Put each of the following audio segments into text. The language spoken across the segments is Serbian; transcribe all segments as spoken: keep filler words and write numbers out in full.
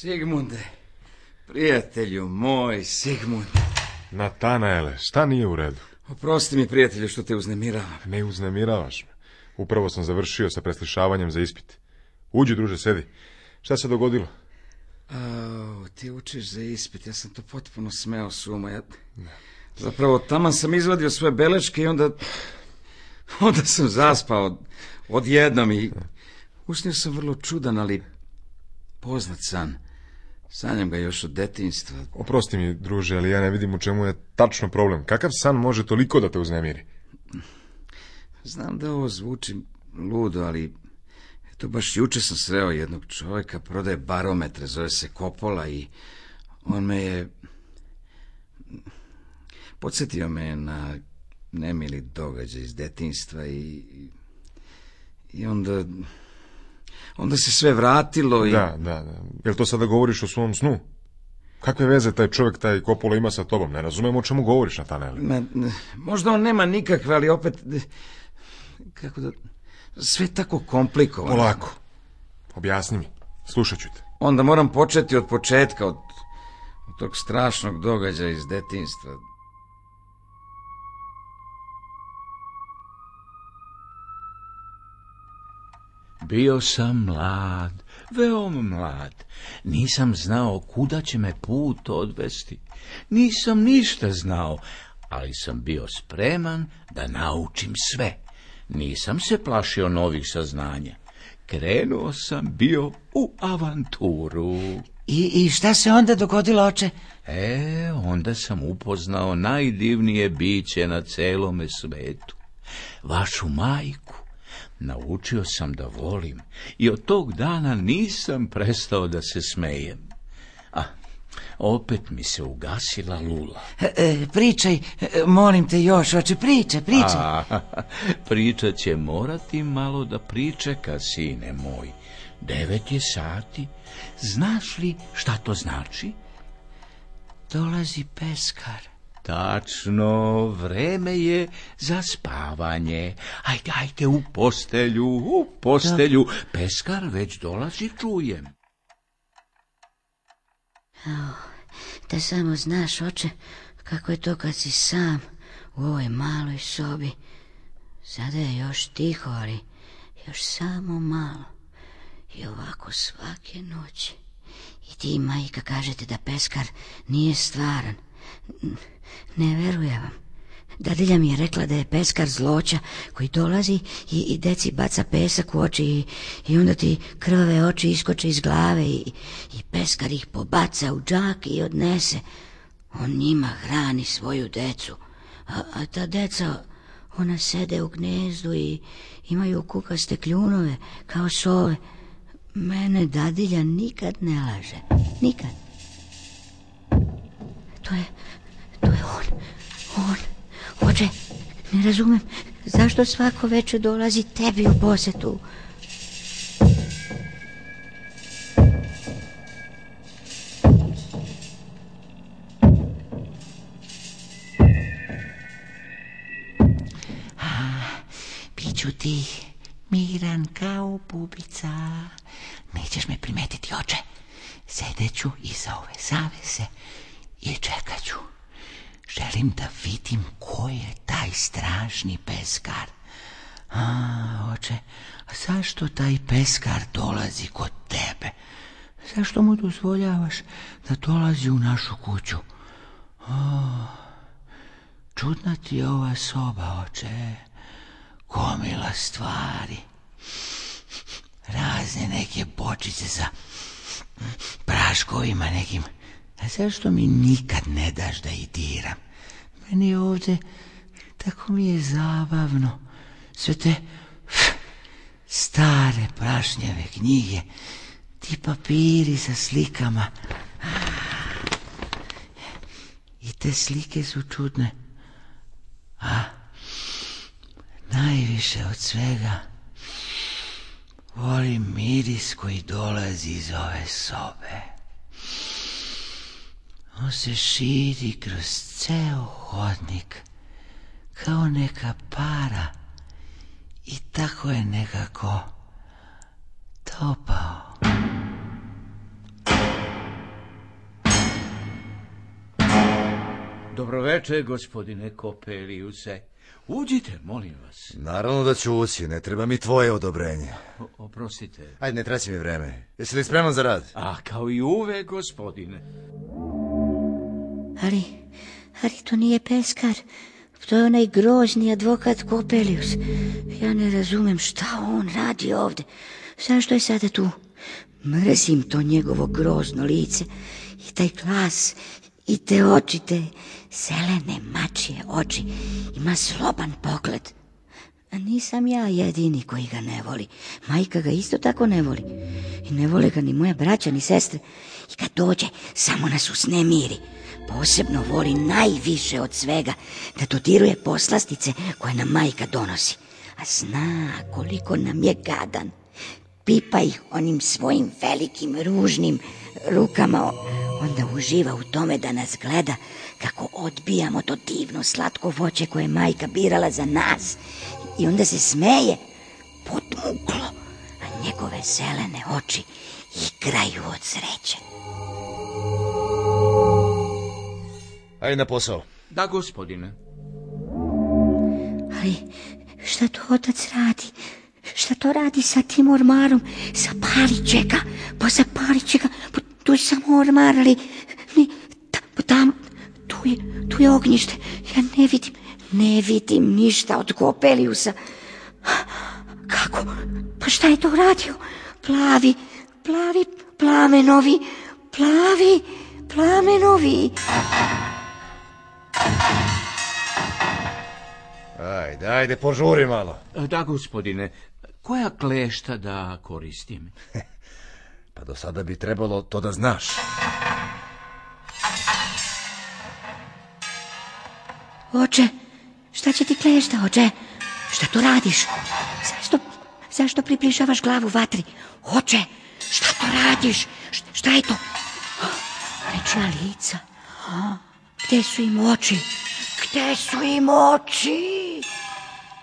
Sigmunde, prijatelju moj, Sigmunde. Natanaele, šta nije u redu? Oprosti mi, prijatelju, što te uznemiravam. Ne uznemiravaš me. Upravo sam završio sa preslišavanjem za ispit. Uđi, druže, sedi. Šta se dogodilo? A, ti učiš za ispit, ja sam to potpuno smeo s uma. Ja... Zapravo, taman sam izvadio svoje beleške i onda... Onda sam zaspao odjednom i... Usnio sam vrlo čudan, ali poznat san. Sanjam ga još od detinjstva. Oprosti mi, druže, ali ja ne vidim u čemu je tačno problem. Kakav san može toliko da te uznemiri? Znam da ovo zvuči ludo, ali... Eto, baš juče sam sreo jednog čovjeka, prodaje barometre, zove se Kopola i on me je... Podsjetio me na nemili događaj iz detinjstva i... I onda... Onda se sve vratilo i... Da, da, da. Jel to sada govoriš o svom snu? Kakve veze taj čovjek, taj Kopola ima sa tobom? Ne razumijem o čemu govoriš, Natanaele. Ma, možda on nema nikakve, ali opet... Kako da... Sve tako komplikovano. Polako. Objasni mi. Slušat ću te. Onda moram početi od početka, od, od tog strašnog događaja iz detinjstva. Bio sam mlad, veoma mlad. Nisam znao kuda će me put odvesti. Nisam ništa znao, ali sam bio spreman da naučim sve. Nisam se plašio novih saznanja. Krenuo sam bio u avanturu. I, i šta se onda dogodilo, oče? E, onda sam upoznao najdivnije biće na celome svetu. Vašu majku. Naučio sam da volim i od tog dana nisam prestao da se smejem. A, opet mi se ugasila lula. E, e, pričaj, e, molim te još, oče, pričaj, pričaj. A, priča će morati malo da pričeka, sine moj. Devet je sati. Znaš li šta to znači? Dolazi peskar. Tačno, vreme je za spavanje. Ajde, ajde, u postelju, u postelju. Da. Peskar već dolazi, čujem. Oh, da samo znaš, oče, kako je to kad si sam u ovoj maloj sobi. Sada je još tiho, ali još samo malo. I ovako svake noći. I ti i majka kažete da peskar nije stvaran. Ne verujem vam. Dadilja mi je rekla da je peskar zloća koji dolazi i, i deci baca pesak u oči i, i onda ti krvave oči iskoče iz glave i, i peskar ih pobaca u džak i odnese. On njima hrani svoju decu, a, a ta deca, ona sede u gnezdu i imaju kukaste kljunove kao sove. Mene dadilja nikad ne laže, nikad. To je, to je on, on. Oče, ne razumem, zašto svako večer dolazi tebi u posetu? A, biću ti miran kao bubica. Nećeš me primetiti, oče. Sedeću iza ove zavese i čekat ću. Želim da vidim ko je taj strašni peskar. A, oče, a zašto taj peskar dolazi kod tebe? Zašto mu dozvoljavaš da dolazi u našu kuću? O, čudna ti je ova soba, oče. Gomila stvari. Razne neke bočice sa praškovima nekim. A zašto mi nikad ne daš da ih diram? Meni ovdje tako mi je zabavno. Sve te stare prašnjave knjige, ti papiri sa slikama. I te slike su čudne. A najviše od svega volim miris koji dolazi iz ove sobe. On se širi kroz ceo hodnik kao neka para i tako je nekako topao. Dobroveče, gospodine Kopeliuse. Uđite, molim vas. Naravno da ću ući, ne treba mi tvoje odobrenje. O, oprostite. Ajde, ne traći mi vreme. Jesi li spreman za rad? A, kao i uvek, gospodine. Ali, ali to nije peskar. To je onaj grozni advokat Kopelius. Ja ne razumem šta on radi ovde. Zašto je sada tu? Mrzim to njegovo grozno lice i taj glas i te oči, te zelene mačije oči. Ima zloban pogled. A nisam ja jedini koji ga ne voli. Majka ga isto tako ne voli. I ne vole ga ni moja braća ni sestre. I kad dođe, samo nas usnemiri. Posebno voli najviše od svega da dodiruje poslastice koje nam majka donosi. A zna koliko nam je gadan. Pipa ih onim svojim velikim ružnim rukama. Onda uživa u tome da nas gleda kako odbijamo to divno slatko voće koje je majka birala za nas. I onda se smeje podmuklo, a njegove zelene oči igraju od sreće. Ajde na posao. Da, gospodine. Ali šta to otac radi? Šta to radi sa tim ormarom? Zapalit ga, pa zapalit će ga. Pa tu je samo ormar, ali ni, ta, tam, tu je, tu je ognjište. Ja ne vidim, ne vidim ništa od Kopeliusa. Kako? Pa šta je to uradio? Plavi, plavi, plamenovi, plavi, plamenovi. Ajde, ajde, požuri malo. Da, gospodine. Koja klešta da koristim? Pa do sada bi trebalo to da znaš. Oče, šta će ti klešta, oče? Šta to radiš? Zašto, zašto približavaš glavu vatri? Oče, šta to radiš? Šta, šta je to? Nečija lica. Gde su im oči? Gde su im oči?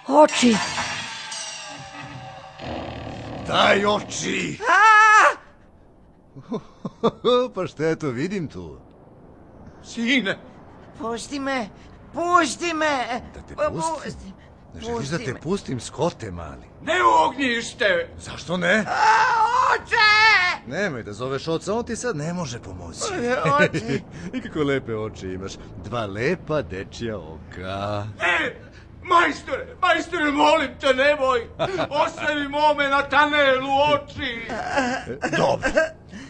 Oči. Daj oči! Pa šta je to, vidim tu? Sine! Pusti me, pusti me. Da te pustim? Ne želiš da te pustim, Skote mali? Ne u ognjište! Zašto ne? Oče! Nemoj da zoveš oca, on ti sad ne može pomoći. Oče! I kako lepe oči imaš. Dva lepa dečija oka. Ne! Majstore, majstore, molim te, nemoj! Ostavi mome Natanelu oči! Dobro.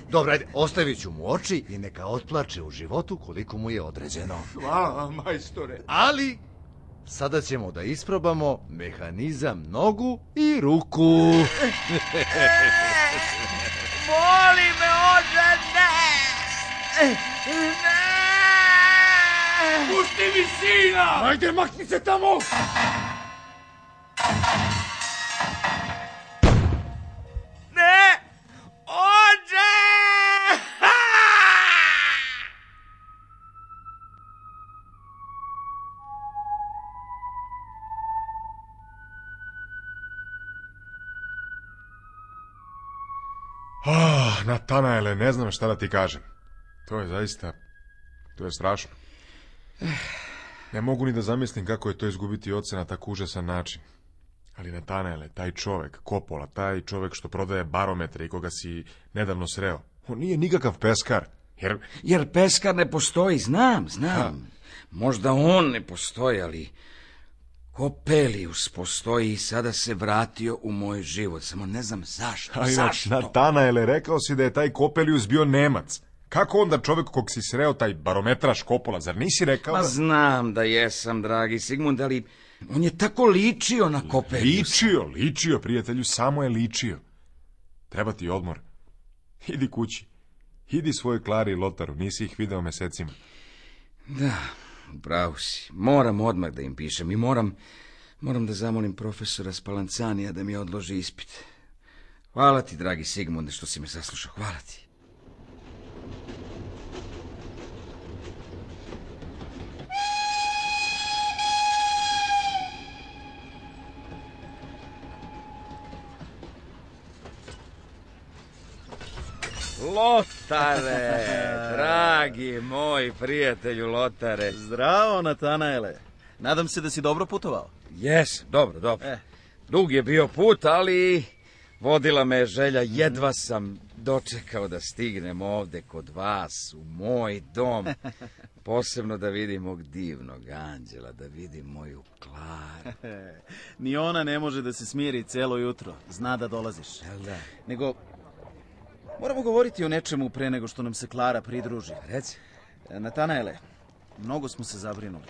Dobro, ajde, ostavit ću mu oči i neka otplače u životu koliko mu je određeno. Hvala vam, majstore. Ali, sada ćemo da isprobamo mehanizam nogu i ruku. Boli me, oče, ne! Ne! Pusti mi sina! Ajde, makni se tamo! Ne! Oče! Ah, Natanaele, ne znam šta da ti kažem. To je zaista, to je strašno. Ne mogu ni da zamislim kako je to izgubiti oca na tako užasan način. Ali Natanaele, taj čovek, Kopola, taj čovek što prodaje barometre i koga si nedavno sreo, on nije nikakav peskar. Jer, Jer peskar ne postoji, znam, znam. Možda on ne postoji, ali Kopelius postoji i sada se vratio u moj život. Samo ne znam zašto. a inač, Zašto? Natanaele, rekao si da je taj Kopelius bio Nemac. Kako onda čovek kog si sreo, taj barometraš Kopola, zar nisi rekao Ma da... znam da jesam, dragi Sigmund, ali on je tako ličio na Kopeliusa. Ličio, ličio, prijatelju, samo je ličio. Treba ti odmor. Idi kući. Idi svojoj Klari i Lotaru, nisi ih video mesecima. Da, upravo si. Moram odmah da im pišem i moram, moram da zamolim profesora Spalancanija da mi odloži ispit. Hvala ti, dragi Sigmunde, što si me saslušao. Hvala ti. Lotare, dragi moj prijatelju Lotare. Zdravo, Natanaele. Nadam se da si dobro putovao. Jes, dobro, dobro. Eh. Dug je bio put, ali vodila me je želja, jedva sam dočekao da stignem ovde kod vas, u moj dom. Posebno da vidim mog divnog anđela, da vidim moju Klaru. Ni ona ne može da se smiri celo jutro. Zna da dolaziš. Jel da? Nego, moramo govoriti o nečemu pre nego što nam se Klara pridruži. Reci. Natanaele, mnogo smo se zabrinuli.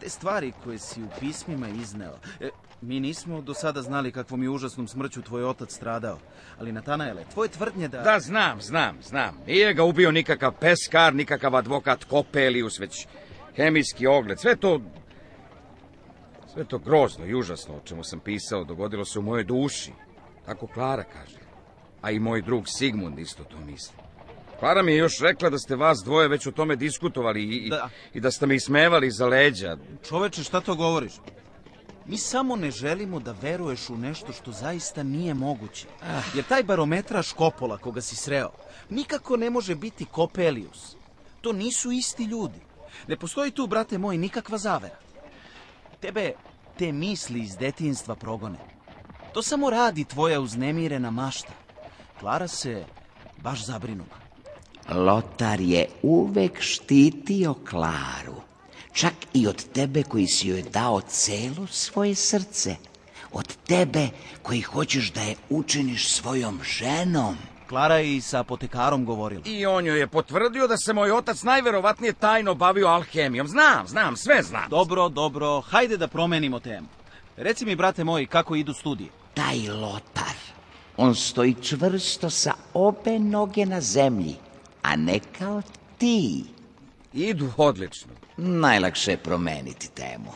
Te stvari koje si u pismima izneo, e, mi nismo do sada znali kakvom je užasnom smrću tvoj otac stradao. Ali, Natanaele, tvoje tvrdnje da... Da, znam, znam, znam. Nije ga ubio nikakav peskar, nikakav advokat Kopelius, već hemijski ogled. Sve to... Sve to grozno i užasno o čemu sam pisao dogodilo se u mojoj duši. Tako Klara kaže. A i moj drug Sigmund isto to misli. Klara mi je još rekla da ste vas dvoje već o tome diskutovali i, Da. i da ste me ismevali za leđa. Čoveče, šta to govoriš? Mi samo ne želimo da veruješ u nešto što zaista nije moguće. Jer taj barometraš Kopola koga si sreo nikako ne može biti Kopelius. To nisu isti ljudi. Ne postoji tu, brate moj, nikakva zavera. Tebe te misli iz detinjstva progone. To samo radi tvoja uznemirena mašta. Klara se baš zabrinula. Lotar je uvek štitio Klaru. Čak i od tebe koji si joj dao celo svoje srce. Od tebe koji hoćeš da je učiniš svojom ženom. Klara je i sa apotekarom govorila. I on joj je potvrdio da se moj otac najverovatnije tajno bavio alhemijom. Znam, znam, sve znam. Dobro, dobro, hajde da promenimo temu. Reci mi, brate moj, kako idu studije? Taj Lotar, on stoji čvrsto sa obe noge na zemlji, a ne kao ti. Idu odlično. Najlakše je promeniti temu.